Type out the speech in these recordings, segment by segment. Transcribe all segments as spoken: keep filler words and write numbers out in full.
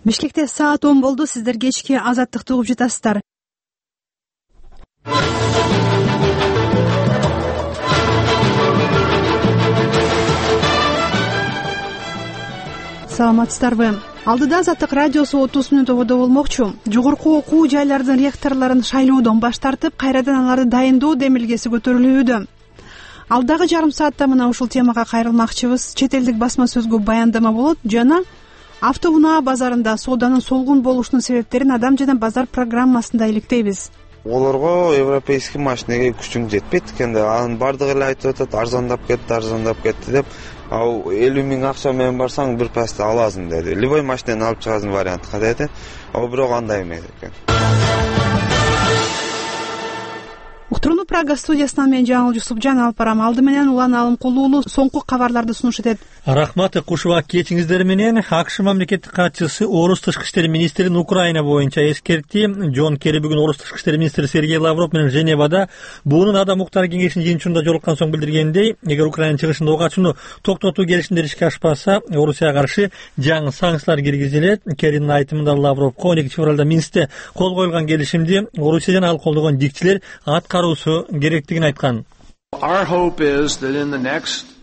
Бишкекте саат он болду. Сиздер кечки Азаттыкты угуп жатасыздар. Саламатсыздарбы? Алдыда Азаттык радиосу отуз мүнөт ободо болмокчу. Жогорку окуу жайлардын ректорлорун шайлоодон баш тартып, кайрадан аларды дайындоо демилгеси көтөрүлүүдө. Алдагы жарым саатта мына ушул темага кайрылмакчыбыз. Чет элдик басма сөзгө баяндама болот жана автоунаа базарында сооданын солгун болушунун себептерин Адам жана базар программасында иликтейбиз. Олорго европейский машинеге күчүң жетпейт экен да, анын бардыгы эле айтып атат, арзандап кетти, арзандап кетти деп. Ал элүү миң акча менен барсаң бир пасты аласың деди. Любой машинени алып чыгасың вариантка деди. Ал бирок андай эмес экен. Уктурууну Прага студиясынан мен Жаңыл Жусупжан алып барам. Алды менен Улан Алымкулуулу соңку кабарларды сунуш этет. Рахмат Кушуба, кечиңиздер менен. АКШ мамлекеттик катчысы Орус тышкы иштер министрин Украина боюнча эскертти. Джон Керри бүгүн Орус тышкы иштер министри Сергей Лавров менен Женевада буунун Адам укуктары кеңешинин жыйынтыгында жолуккан соң билдиргендей, эгер Украина чыгышында ок ачууну токтотуу келишимдери ишке ашпаса, Орусияга каршы жаңы санкциялар киргизилет. Керринин айтымында Лавровго он экинчи февралда Минскте кол коюлган келишимди Орусия жана ал колдогон дикчилер аткаруусу керектигин айткан.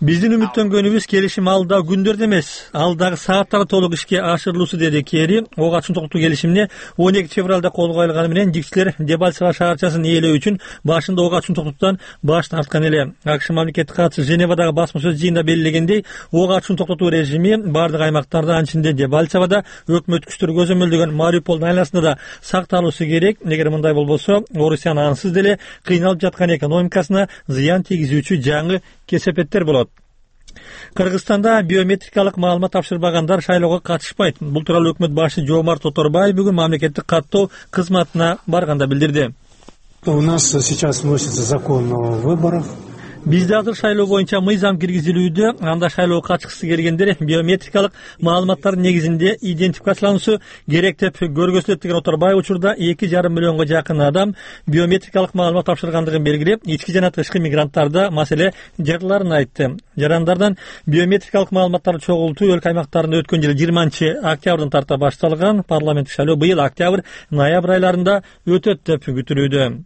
Биздин үмүттөнгөнүбүз келишим алда күндөрдө эмес, алдагы сааттарда толук ишке ашырылуусу, деди Керри. Ок ачууну токтотуу келишимине он экинчи февралда кол коюлганы менен дикчилер Дебальцево шаарчасын ээлөө үчүн башында ок ачууну токтотуудан баш тарткан эле. АКШ мамлекеттик катчысы Женевадагы басма сөз жыйынында белгилегендей, ок ачууну токтотуу режими бардык аймактарда, анын ичинде Дебальцевода, өкмөт күчтөрү көзөмөлдөгөн Мариуполдун айланасында да сакталуусу керек. Эгер мындай болбосо, Орусиянын ансыз деле кыйналып жаткан экономикасына зыян тийгизүүчү жаңы кесепеттер болот. Кыргызстанда биометрикалык маалымат тапшырбагандар шайлоого катышпайт. Бул тууралуу өкмөт башы Жомарт Тоторбаев бүгүн мамлекеттик каттоо кызматына барганда билдирди. У нас сейчас вносится закон о выборах. Бизде азыр шайлоо боюнча мыйзам киргизилүүдө. Анда шайлоого катышкысы келгендер биометрикалык маалыматтардын негизинде идентификациялануусу керек деп көргөзүлөт деген Оторбаев учурда эки жарым миллионго жакын адам биометрикалык маалымат тапшыргандыгын белгилеп, ички жана тышкы мигранттарда маселе жарыларын айтты. Жарандардан биометрикалык маалыматтарды чогултуу өлкө аймактарында өткөн жылы жыйырманчы октябрдан тарта башталган. Парламенттик шайлоо быйыл октябрь, ноябрь айларында өтөт деп күтүлүүдө.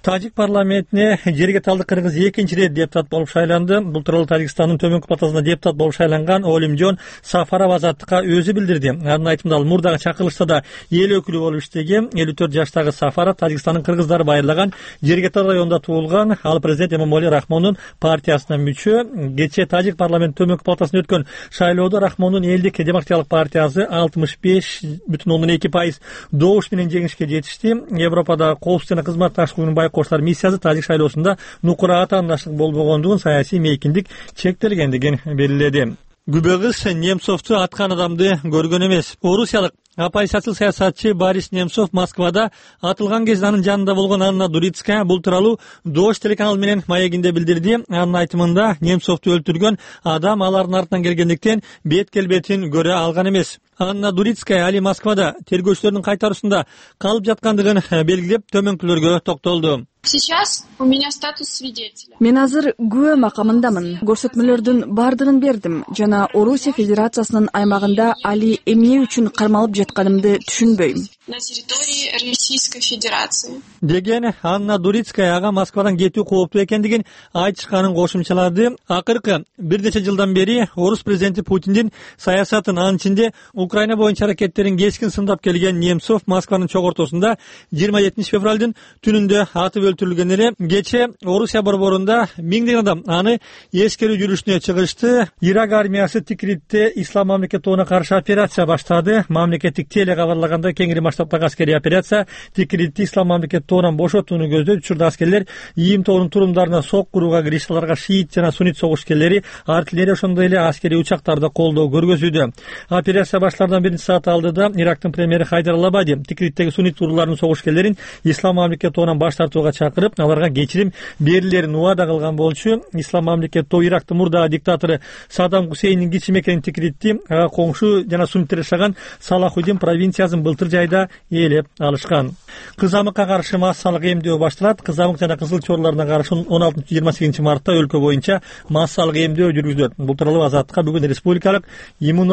Тажик парламентине жергеталдык кыргыз экинчи рет депутат болуп шайланды. Бул тууралуу Тажикстандын төмөнкү палатасына депутат болуп шайланган Олимжон Сафаров Азаттыкка өзү билдирди. Анын айтымында ал мурдагы чакырылышта да эл өкүлү болуп иштеген. элүү төрт жаштагы Сафаров Тажикстандын кыргыздары байырлаган Жергетал районунда туулган. Ал президент Эмомали Рахмондун партиясына мүчө. Кечээ Тажик парламент төмөнкү палатасына өткөн шайлоодо Рахмондун элдик демократиялык партиясы алтымыш беш бүтүн ондон эки пайыз добуш менен жеңишке жетишти. Европада коопсуздук жана кызматташтык байкоштор миссиясы Тажик шайлоосунда нукура атаандаштык болбогондугун, саясий мейкиндик чектелгендигин белгиледи. Күбөгүз Немцовду аткан адамды көргөн эмес. Орусиялык оппозициялык саясатчы Борис Немцов Москвада атылган кезде анын жанында болгон Анна Дурицкая бул тууралуу Дождь телеканалы менен маегинде билдирди. Анын айтымында Немцовду өлтүргөн адам алардын артынан келгендиктен бет келбетин көрө алган эмес. Анна Дурицкая али Москвада тергөөчүлөрдүн кайтаруусунда калып жаткандыгын белгилеп, төмөнкүлөргө токтолду. Сейчас у меня статус свидетеля. Мен азыр күбө макамындамын. Көрсөтмөлөрдүн бардыгын бердим жана Орусия Федерациясынын аймагында али эмне үчүн кармалып жатканымды түшүнбөйм. На территории Российской Федерации. Деген Анна Дурицкая ага Москвадан кетүү кооптуу экендигин айтышканын кошумчалады. Акыркы бир нече жылдан бери Орус президенти Путиндин саясатын, анын ичинде Украина боюнча аракеттерин кескин сындап келген Немцов Москванын чогортосунда жыйырма жетинчи февралдын түнүндө атып өлтүрүлгөн эле. Кечээ Орусия борборунда миңдеген адам аны эскерүү жүрүшүнө чыгышты. Ирак армиясы Тикритте ислам мамлекет тобуна каршы операция баштады. Мамлекеттик теле кабарлагандай кеңири масштабтагы аскерий операция Тикритти ислам мамлекет тобунан бошотууну көздөйт. Учурда аскерлер ИИМ тобунун турумдарына сок курууга киришти. Аларга шиит жана суннит согушкерлери, артиллерия, ошондой эле аскерий учактарды колдоо көргөзүүдө. Операция башлардан бир саат алдыда Ирактын премьери Хайдар Алабади Тикриттеги суннит турларынын согушкерлерин ислам мамлекет тобунан баш тартууга чакырып, аларга кечирим берилерин убада кылган болчу. Ислам мамлекет тобу Ирактын мурдагы диктатору Саддам Хусейндин кичи мекенин Тикритти ага коңшу жана сунниттер жашаган Салахуддин провинциясын былтыр жайда ээлеп алышкан. Кызамыкка каршы массалык эмдөө башталат. Кызамык жана кызыл чорлоруна каршы он алтынчы жыйырма сегизинчи мартта өлкө боюнча массалык эмдөө жүргүзүлөт. Бул тууралуу Азаттыкка бүгүн республикалык иммун